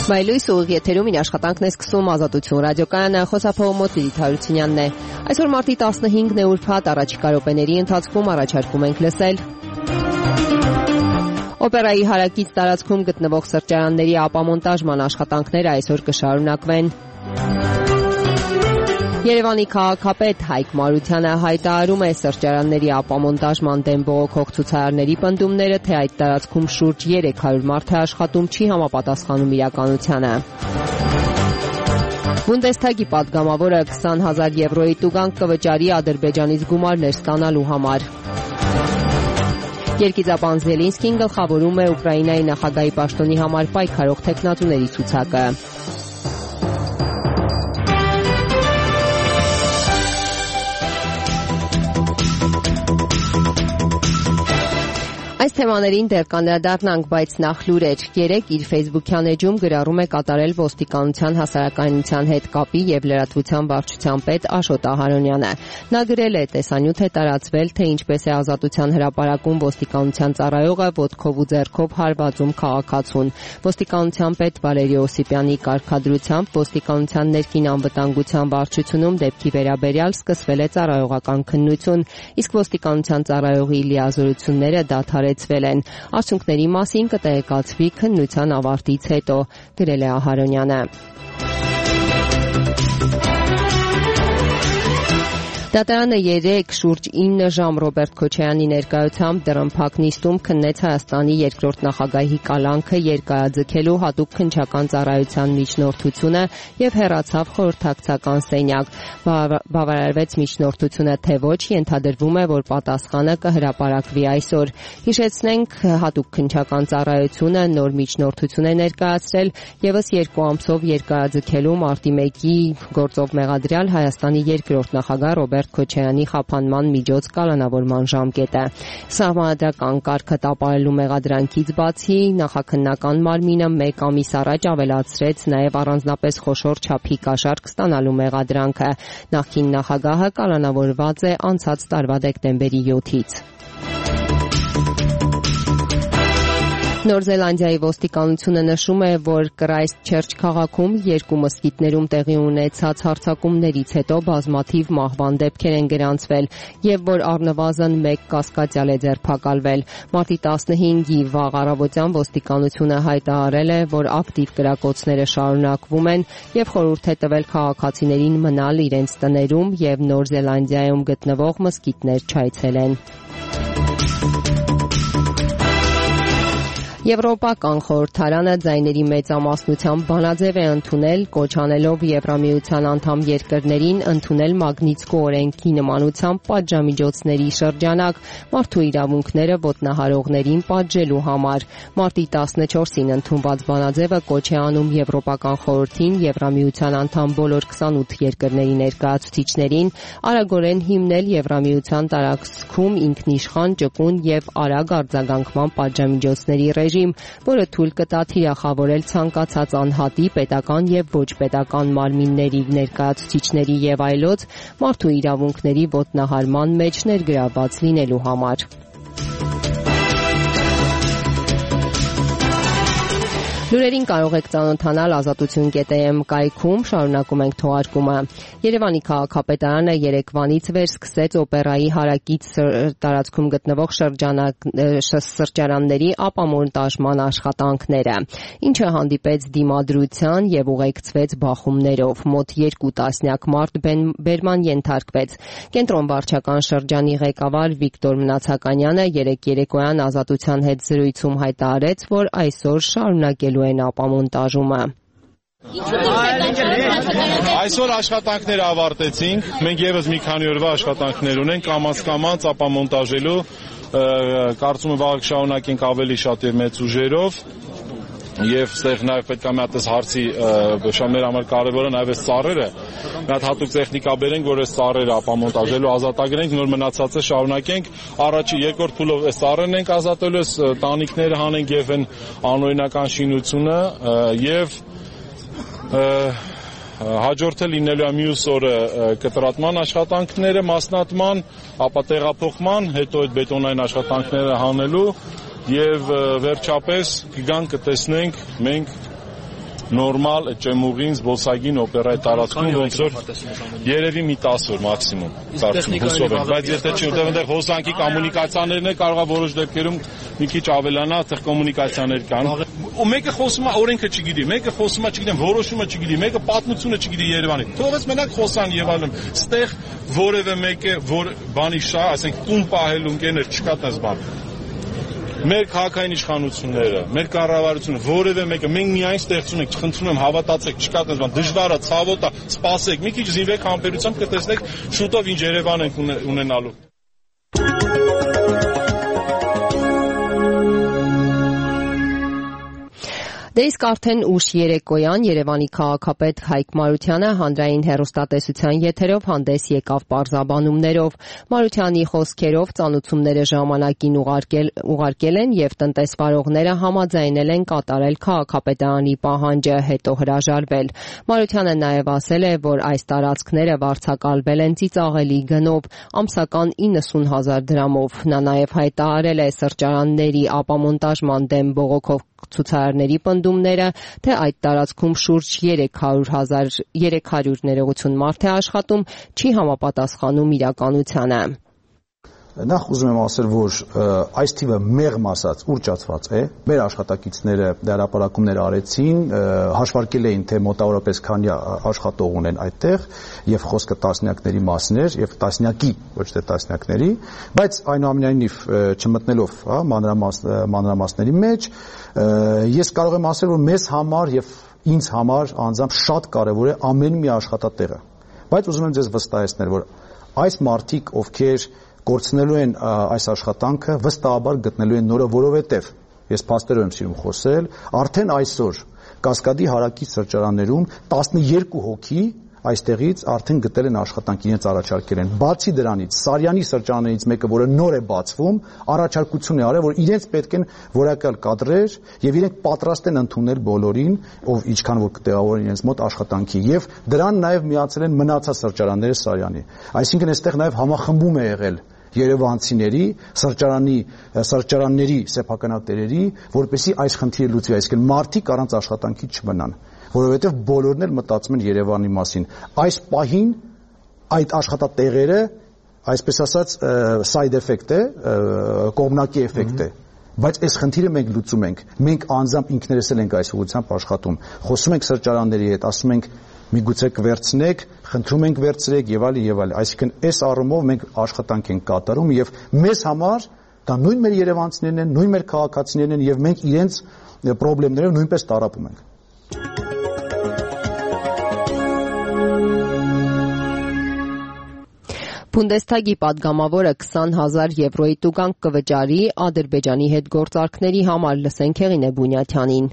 Մայլույս ուղիղ եթերում իր աշխատանքն է սկսում Ազատություն ռադիոկայանը, խոսափողը Մոտ Լիլիթ Հարությունյանն է։ Այսօր մարտի 15-ն է ուրբաթ, առաջիկա րոպեների ընթացքում առաջարկում ենք լսել Օպերայի հարակից տարածքում գտնվող սրճարանների ապամոնտաժման աշխատանքները այսօր կշարունակվեն։ Երևանի քաղաքապետ Հայկ Մարությանը հայտարարում է սրճարանների ապամոնտաժման դեմ բողոքող ցուցարարների պնդումները, թե այդ տարածքում շուրջ 300 մարդ է աշխատում, չի համապատասխանում իրականությանը։ Բունդեսթագի պատգամավորը 20,000 եվրոյի տուգանք կվճարի Ադրբեջանից գումարներ ստանալու համար։ Երգիծապան Զելինսկին գլխավորում է Ուկրաինայի նախագահի պաշտոնի համար պայքարող թեկնածուների ցուցակը։ Այս թեմաներին դեռ կանդրադառնանք, բայց նախ լուրեր։ Երեկ իր Facebook-յան էջում գրառում է կատարել ոստիկանության հասարակայնության հետ կապի եւ լրատվության վարչության պետ Աշոտ Ահարոնյանը։ Նա գրել է. տեսանյութ է տարածվել, թե ինչպես է Ազատության հրապարակում ոստիկանության ծառայողը ոտքով ու ձեռքով հարվածում քաղաքացուն։ Ոստիկանության պետ Վալերի Օսիպյանի կարգադրությամբ ոստիկանության ներքին անվտանգության վարչությունում դեպքի վերաբերյալ սկսվել է ծառայողական քննություն, իսկ ոստիկանության ծառայողի լիազորությունները դադարեցվել են։ Արդյունքների մասին կտեղեկացվի քննության ավարտից հետո, գրել է Ահարոնյանը։ Դատարանը երեկ շուրջ 9 ժամ Ռոբերտ Քոչարյանի ներկայությամբ դռնփակ նիստում քննեց Հայաստանի երկրորդ նախագահի կալանքը երկարաձգելու հատուկ քննչական ծառայության միջնորդությունը եւ հեռացավ խորհրդակցական սենյակ։ Բավարարվեց միջնորդությունը, թե ոչ, ենթադրվում է, որ պատասխանը կհրապարակվի այսօր։ Հիշեցնենք, հատուկ քննչական ծառայությունը նոր միջնորդություն է ներկայացրել եւս 2 ամսով երկարաձգելու մարտի 1-ի գործով մեղադրյալ Հայաստանի երկրորդ նախագահ Ռոբերտ Քոչարյանի խափանման միջոց կալանավորման ժամկետը։ Սահմանադրական կարգը տապալելու մեղադրանքից բացի նախաքննական մարմինը 1 ամիս առաջ ավելացրեց նաև առանձնապես խոշոր չափի կաշառք ստանալու մեղադրանքը։ Նախկին նախագահը կալանավորված է անցած տարվա դեկտեմբերի 7-ից։ Նոր Զելանդիայի ոստիկանությունը նշում է, որ Քրայսթչերչ քաղաքում 2 մզկիթներում տեղի ունեցած հարձակումներից հետո բազմաթիվ մահվան դեպքեր են գրանցվել եւ որ առնվազն 1 կասկածյալ է ձերբակալվել։ Մարտի 15-ի վաղ առավոտյան ոստիկանությունը հայտարարել է, որ ակտիվ կրակոցները շարունակվում են եւ խորհուրդ է տվել քաղաքացիներին մնալ իրենց տներում եւ Նոր Զելանդիայում գտնվող մզկիթներ չայցելեն։ Եվրոպական խորհրդարանը ձայների մեծամասնությամբ բանաձև է ընդունել, կոչ անելով Եվրամիության անդամ երկրներին ընդունել Մագնիտսկու օրենքի նմանությամբ պատժամիջոցների շրջանակ մարդու իրավունքները ոտնահարողներին պատժելու համար։ Մարտի 14-ին ընդունված բանաձևը կոչ է անում Եվրոպական խորհրդին, Եվրամիության անդամ բոլոր 28 երկրների ներկայացուցիչներին արագորեն հիմնել Եվրամիության տարածքում ինքնիշխան, ճկուն եւ արագ արձագանքման պատժամիջոցների որը թույլ կտա թիրախավորել ցանկացած անհատի, պետական եւ ոչ պետական մարմինների, ներկայացուցիչների եւ այլոց մարդու իրավունքների ոտնահարման մեջ ներգրավված լինելու համար։ Լուրերին կարող եք ծանոթանալ ազատություն.am կայքում, շարունակում ենք թողարկումը։ Երևանի քաղաքապետարանը երեկվանից վեր սկսեց օպերայի հարակից տարածքում գտնվող սրճարանների ապամոնտաժման աշխատանքները, ինչը հանդիպեց դիմադրության եւ ուղեկցվեց բախումներով։ Մոտ 2 տասնյակ մարդ բերման ենթարկվեց։ Կենտրոն վարչական շրջանի ղեկավար Վիկտոր Մնացականյանը երեկ երեկոյան Ազատության հետ զրույցում հայտարարեց, որ այսօր շարունակելու են ապամոնտաժումը։ Այսօր աշխատանքները ավարտեցինք, մենք եւս մի քանի օրվա աշխատանքներ ունենք, կամաց ապամոնտաժելու, կարծում եմ վաղ շարունակենք ավելի շատ եւ մեծ ուժերով։ Եվ ստեղ նաև պետք է մի հատ հարցի մեր համար կարևորը նաև այս ծառերը մի հատ հատուկ տեխնիկա բերենք, որ այս ծառերը ապամոնտաժելու ազատագրենք, նոր մնացածը շարունակենք։ Առաջի երկրորդ փուլով այս ծառերն ենք ազատելու, այս տանիքները հանենք եւ այն անօրինական շինությունը եւ հաջորդը լինելու է մյուս օրը կտրատման աշխատանքները, մասնատման, ապա տեղափոխման, հետո այդ բետոնային աշխատանքները հանելու եւ վերջապես կգանք կտեսնենք մենք նորմալ ճեմուղին, զբոսայգին, օպերայի տարածքում ոնց որ երևի մի 10 օր մաքսիմում հուսով եմ, բայց եթե չի որտեղ այնտեղ հոսանքի կոմունիկացիաներն է կարող է որոշ դեպքերում մի քիչ ավելանա, այդտեղ կոմունիկացիաներ կան։ Ու մեկը խոսում է օրենքը չգիտի, մեկը խոսում է չգիտեմ, որոշումը չգիտի, մեկը պատմությունը չգիտի Երևանի։ Թողած մենակ խոսան եւ այլն։ Ստեղ որևէ մեկը որ բանի շահ, ասենք տուն պահելու ընկերներ չկա տես բան։ Մեր քաղաքային իշխանությունները, մեր կառավարությունը, որևէ մեկը, մենք միայն ստեղծում ենք, խնդրում եմ հավատացեք, չկա տես բան, դժվար է, ցավոտ է, սպասեք, մի քիչ զինվեք համբերությամբ կտեսնեք շուտով ինչ Երևան ենք ունենալու։ Դե իսկ արդեն ուշ երեկոյան Երևանի քաղաքապետ Հայկ Մարությանը հանրային հեռուստատեսության եթերով հանդես եկավ պարզաբանումներով։ Մարությանի խոսքերով ծանոթությունները ժամանակին ուղարկել են եւ տնտեսվարողները համաձայնել են կատարել քաղաքապետարանի պահանջը, հետո հրաժարվել։ Մարությանը նաեւ ասել է, որ այս տարածքները վարձակալվել են ծիծաղելի գնով, ամսական 90,000 դրամով։ Նա նաեւ հայտարարել է սրճարանների ապամոնտաժման դեմ բողոքող ցուցարարների պնդումները, թե այդ տարածքում շուրջ 300 ներողություն մարդ է աշխատում, չի համապատասխանում իրականությանը։ Նախ ուզում եմ ասել, որ այս թիվը մեղմ ասած ուռճացված է։ Մեր աշխատակիցները հրապարակումներ արեցին, հաշվարկել էին, թե մոտավորապես քանի աշխատող ունեն այդտեղ, եւ խոսքը տասնյակների մասին էր, եւ տասնյակի, ոչ թե տասնյակների, բայց այնուամենայնիվ չմտնելով մանրամասների մեջ, ես կարող եմ ասել, որ մեզ համար եւ ինձ համար անձամբ շատ կարեւոր է ամեն մի աշխատատեղը։ Բայց ուզում եմ ձեզ վստահեցնել, որ այս մարդիկ, ովքեր կորցնելու են այս աշխատանքը, վստահաբար գտնելու են նորը, որովհետև ես փաստերով եմ սիրում խոսել, արդեն այսօր Կասկադի հարակից սրճարաններում 12 հոգի այստեղից արդեն գտել են աշխատանք, իրենց առաջարկել են։ Բացի դրանից, Սարյանի սրճարաններից մեկը, որը նոր է բացվում, առաջարկություն է արել, որ իրենց պետք են որակյալ կադրեր եւ իրենք պատրաստ են ընդունել բոլորին, ով ինչքան որ կտեղավորեն իրենց մոտ աշխատանքի, եւ դրան նաեւ միացել են մնացած սրճարանները Սարյանի։ Այսինքն այստեղ նաեւ համախմբում է եղել երևանցիների, սրճարանների սեփականատերերի, որպեսզի այս խնդիրը լուծվի, այսինքն մարդիկ առանց աշխատանքի չմնան, որովհետև բոլորն էլ մտածում են Երևանի մասին։ Այս պահին այդ աշխատատեղերը, այսպես ասած, side effect է, կողմնակի էֆեկտ է, բայց այս խնդիրը մենք լուծում ենք։ Մենք անձամբ ինքներս էլ ենք այս ուղղությամբ աշխատում։ Խոսում ենք սրճարանների հետ, ասում ենք միգուցե կվերցնեք, խնդրում ենք վերցրեք եւ այլ եւ այլ։ Այսինքն այս առումով մենք աշխատանք ենք կատարում եւ մեզ համար դա նույն մեր երևանցիներն են, նույն մեր քաղաքացիներն են եւ մենք իրենց խնդիրներով նույնպես տարապում ենք։ Բունդեսթագի падգամավորը 20,000 եվրոյի տուգանք կվճարի Ադրբեջանի հետ գործարքների համար, լսենք Հեղինե Բունյաթյանին։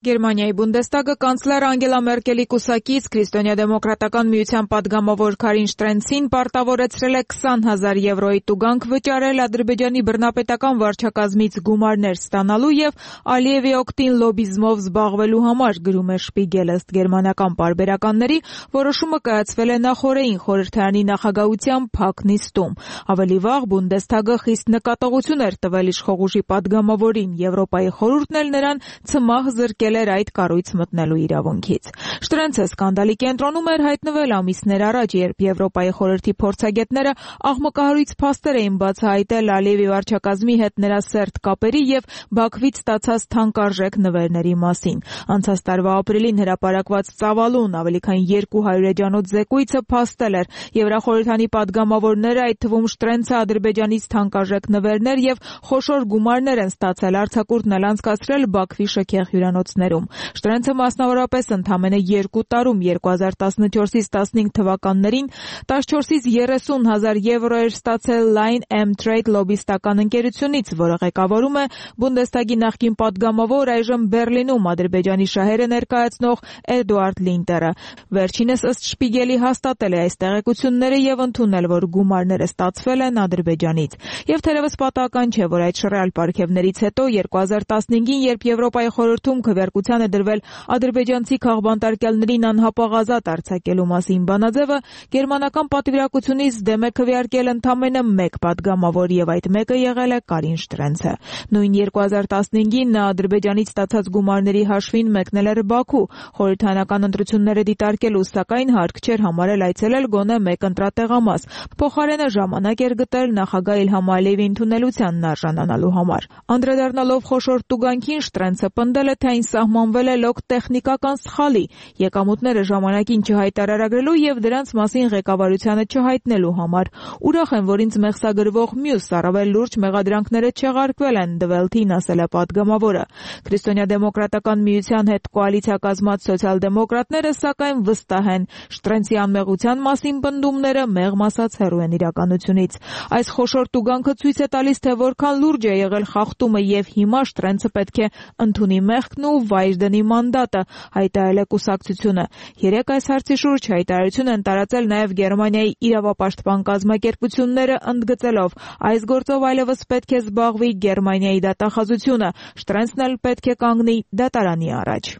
Գերմանիայի Բունդեստագը կանցլեր Անգելա Մերկելի կուսակից Քրիստոնյա-դեմոկրատական միության падգամավոր Քարին Շտրենցին պարտավորեցրել է 20,000 եվրոյի տուգանք վճարել Ադրբեջանի բռնապետական վարչակազմից գումարներ ստանալու եւ Ալիևի օգտին լոբիզմով զբաղվելու համար, գրում է Շպիգելը։ Ըստ գերմանական պարբերականների որոշումը կայացվել է նախօրեին խորհրդարանի նախագահության փակ նիստում։ Ավելի վաղ Բունդեստագը խիստ նկատողություն էր տվել իշխող ուժի падգամավորին, Եվրոպայի խորհուրդն էլ նրան ցմահ զրկել էր այդ կառույց մտնելու իրավունքից։ Շտրենցը սկանդալի կենտրոնում էր հայտնվել ամիսներ առաջ, երբ Եվրոպայի խորհրդի փորձագետները աղմկահարույց փաստեր էին բացահայտել Ալիևի վարչակազմի հետ նրա սերտ կապերի եւ Բաքվից ստացած թանկարժեք նվերների մասին։ Անցած տարվա ապրիլին հրապարակված ծավալուն ավելի քան 200 էջանոց զեկույցը փաստել էր Եվրախորհրդանի падգամավորները, այդ թվում Շտրենցը, Ադրբեջանից թանկարժեք նվերներ եւ խոշոր գումարներ են ստացել, արձակուրդն էլ անցկացրել Բաքվի շքեղ հյուրանոցներում։ Շտրենցը մասնավորապես ընդամենը 2 տարում 2014-ից 15 թվականներին 14-ից 30,000 եվրո էր ստացել Line M-Trade լոբիստական ընկերությունից, որը ղեկավարում է Բունդեստագի նախկին падգամավոր, այժմ Բերլինում Ադրբեջանի շահերը ներկայացնող Էդուարդ Լինտերը։ Վերջինս ըստ Շպիգելի հաստատել է այս տեղեկությունները եւ ընդունել, որ գումարները ստացվել են Ադրբեջանից։ Եվ թերևս պատահական չէ, որ այդ շռայլ պարգևներից հետո 2015-ին, երբ Եվրոպայի խորհրդում քննարկության է դրվել ադրբեջանցի քաղբանտարկյալներին անհապաղ արձակելու մասին բանաձևը, գերմանական պատվիրակությունից դեմ է քվեարկել ընդամենը մեկ պատգամավոր եւ այդ մեկը եղել է Կարին Շտրենցը։ Նույն 2015-ին նա Ադրբեջանից ստացած գումարների հաշվին մեկնել էր Բաքու խորհրդարանական ընտրությունները դիտարկելու, սակայն հարկ չէր համարել այցելել գոնե մեկ ընտրատեղամաս։ Փոխարենը ժամանակ էր գտել նախագահ Իլհամ Ալիևի ընդունելությանն արժանանալու համար։ Անդրադառնալով խոշոր տուգանքին, Շտրենցը պնդել է, թե այն սահմանվել է լոկ տեխնիկական սխալի, եկամուտները ժամանակին չհայտարարագրելու եւ դրանց մասին ղեկավարությանը չհայտնելու համար։ Ուրախ եմ, որ ինձ մեղսագրվող մյուս առավել լուրջ մեղադրանքները չեղարկվել են, Դվելթին ասել է պատգամավորը։ Քրիստոնյա-դեմոկրատական միության հետ կոալիցիա կազմած սոցիալ-դեմոկրատները սակայն վստահ են, Շտրենցի անմեղության մասին պնդումները մեղմ ասած հեռու են իրականությունից։ Այս խոշոր տուգանքը ցույց է տալիս, թե որքան լուրջ է եղել խախտումը եւ հիմա Շտրենցը պետք է ընդունի մեղքն ու վայր դնի մանդատը, հայտարարել է կուսակցությունը։ Երեկ այս հարցի շուրջ հայտարարություն են տարածել նաեւ Գերմանիայի իրավապաշտպան կազմակերպությունները, ընդգծելով, այս գործով այլևս պետք է զբաղվի Գերմանիայի դատախազությունը, Շտրենցն էլ պետք է կանգնի դատարանի առաջ։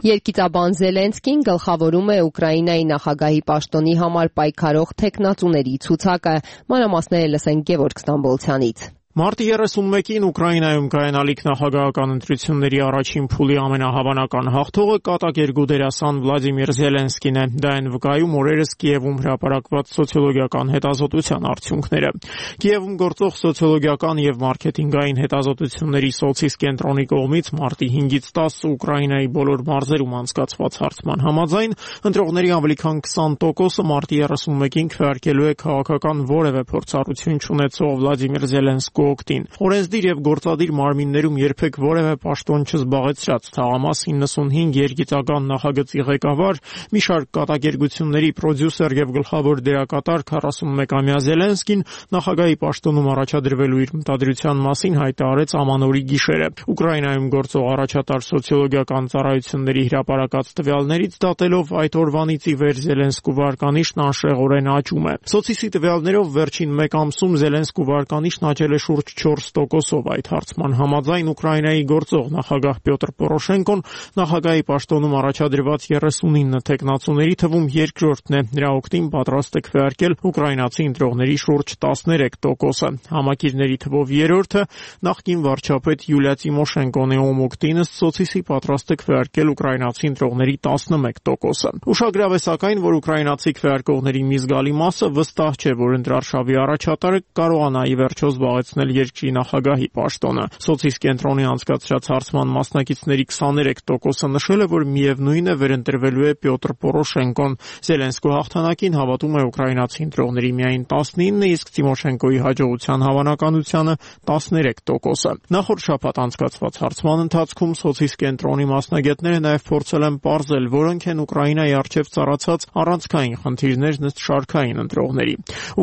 Երկիծաբան Զելենսկին գլխավորում է Ուկրաինայի նախագահի պաշտոնի համար պայքարող թեկնածուների ցուցակը։ Մանրամասները լսենք Գևորգ Ստամբոլցյանից։ Մարտի 31-ին Ուկրաինայում կայանալիք նախագահական ընտրությունների առաջին փուլի ամենահավանական հաղթողը կատակերգու դերասան Վլադիմիր Զելենսկին է։ Դա են վկայում օրերս Կիևում հրապարակված սոցիոլոգիական հետազոտության արդյունքները։ Կիևում գործող սոցիոլոգիական եւ մարքեթինգային հետազոտությունների Սոցիս կենտրոնի կողմից մարտի 5-ից 10 Ուկրաինայի բոլոր մարզերում անցկացված հարցման համաձայն ընտրողների ավելի քան 20%-ը մարտի 31-ին քվեարկելու է քաղաքական որևէ փորձառություն չունեցող Վլադիմիր Զելենսկու օգտին։ Օրենսդիր եւ գործադիր մարմիններում երբեք որևէ պաշտոն չզբաղեցրած թաղամաս 95 երգիծական նախագծի ղեկավար, մի շարք կատակերգությունների պրոդյուսեր եւ գլխավոր դերակատար 41-ամյա Զելենսկին նախագահի պաշտոնում առաջադրվելու իր մտադրության մասին հայտարարեց ամանորի գիշերը։ Ուկրաինայում գործող առաջատար սոցիոլոգիական ծառայությունների հրապարակած տվյալներից դատելով այդ օրվանից ի վեր Զելենսկու վարկանիշն անշեղորեն աճում է։ Սոցիսի տվյալներով վերջին մեկ ամսում Զելենսկու վարկանիշն աճել է շուրջ 4%-ով։ Այդ հարցման համաձայն Ուկրաինայի գործող նախագահ Պյոտր Պորոշենկոն նախագահի պաշտոնում առաջադրված 39 թեկնածուների թվում երկրորդն է։ Նրա օգտին պատրաստ է քվեարկել ուկրաինացի ընտրողների շուրջ 13%-ը։ Համակիրների թվով երրորդը նախկին վարչապետ Յուլիա Տիմոշենկոն է, ում օգտին ըստ Սոցիսի պատրաստ է քվեարկել ուկրաինացի ընտրողների 11%-ը։ Ուշագրավ է սակայն, որ ուկրաինացի քվեարկողների մի զգալի մասը վստահ չէ, որ ընտրարշավի առաջատարը կարողանա ի վերջո զբաղեցնել երկրի նախագահի պաշտոնը։ Սոցիս կենտրոնի անցկացրած հարցման մասնակիցների 23%-ը նշել է, որ միևնույն է վերընտրվելու է Պյոտր Պորոշենկոն։ Զելենսկու հաղթանակին հավատում է ուկրաինացի ընտրողների միայն 19, իսկ Տիմոշենկոյի հաջողության հավանականությունը 13%-ը։ Նախորդ շաբաթ անցկացված հարցման ընթացքում Սոցիս կենտրոնի մասնագետները նաև փորձել են պարզել, որոնք են Ուկրաինայի առջև ծառացած առանցքային խնդիրներն ըստ շարքային ընտրողների։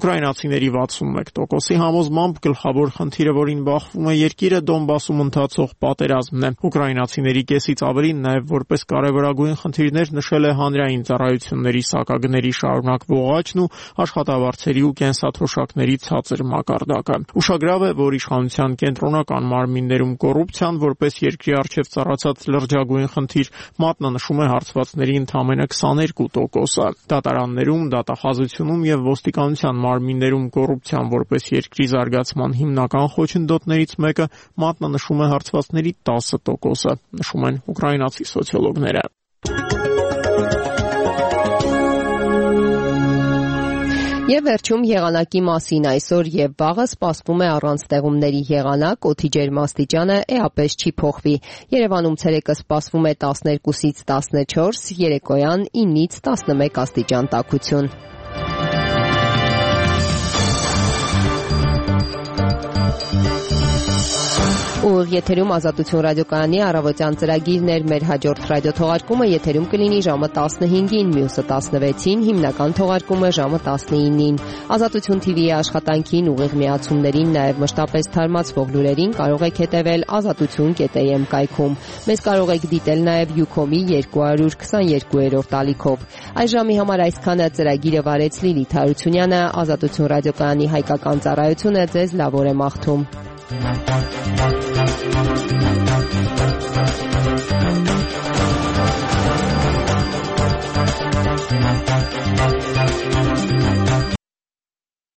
Ուկրաինացիների 61%-ի համոզմամբ գլխավոր խնդիրը, որին բախվում է երկիրը, Դոնբասում ընթացող պատերազմն է։ Ուկրաինացիների կեսից ավելին նաև որպես կարևորագույն խնդիրներ նշել է հանրային ծառայությունների սակագների շարունակվող աճն ու աշխատավարձերի ու կենսաթոշակների ցածր մակարդակը։ Ուշագրավ է, որ իշխանության կենտրոնական մարմիններում կոռուպցիան որպես երկրի առջև ծառացած լրջագույն խնդիր մատնանշում է հարցվածների ընդամենը 22%-ը։ Դատարաններում, դատախազությունում եւ ոստիկանության մարմիններում կոռուպցիան որպես երկրի զարգացման հիմնական խոչընդոտներից մեկը մատնանշում է հարցվածների 10%-ը, նշում են ուկրաինացի սոցիոլոգները։ Եվ վերջում եղանակի մասին այսօր եւ վաղը սպասվում է առանց ձեղումների եղանակ, օդի ջերմաստիճանը էապես չի փոխվի։ Երևանում ցերեկը սպասվում է 12-ից 14, երեկոյան 9-ից 11 աստիճան տաքություն։ Ու ուղիղ եթերում Ազատություն ռադիոկայանի առավոտյան ծրագիրն էր։ Մեր հաջորդ ռադիոթողարկումը եթերում կլինի ժամը 15-ին, մյուսը 16-ին, հիմնական թողարկումը ժամը 19-ին։ Ազատություն TV-ի աշխատանքին, ուղիղ միացումներին, նաև մշտապես թարմացվող լուրերին կարող եք հետևել azatutun.am կայքում։ Մեզ կարող եք դիտել նաև Ucom-ի 222-րդ ալիքով։ Այս ժամի համար այսքանը ծրագիրը վարեց Լիլիթ Հարությունյանը, Ազատություն ռադիոկայանի հայկական ծառայությունը ձեզ լավ օր է մաղթում։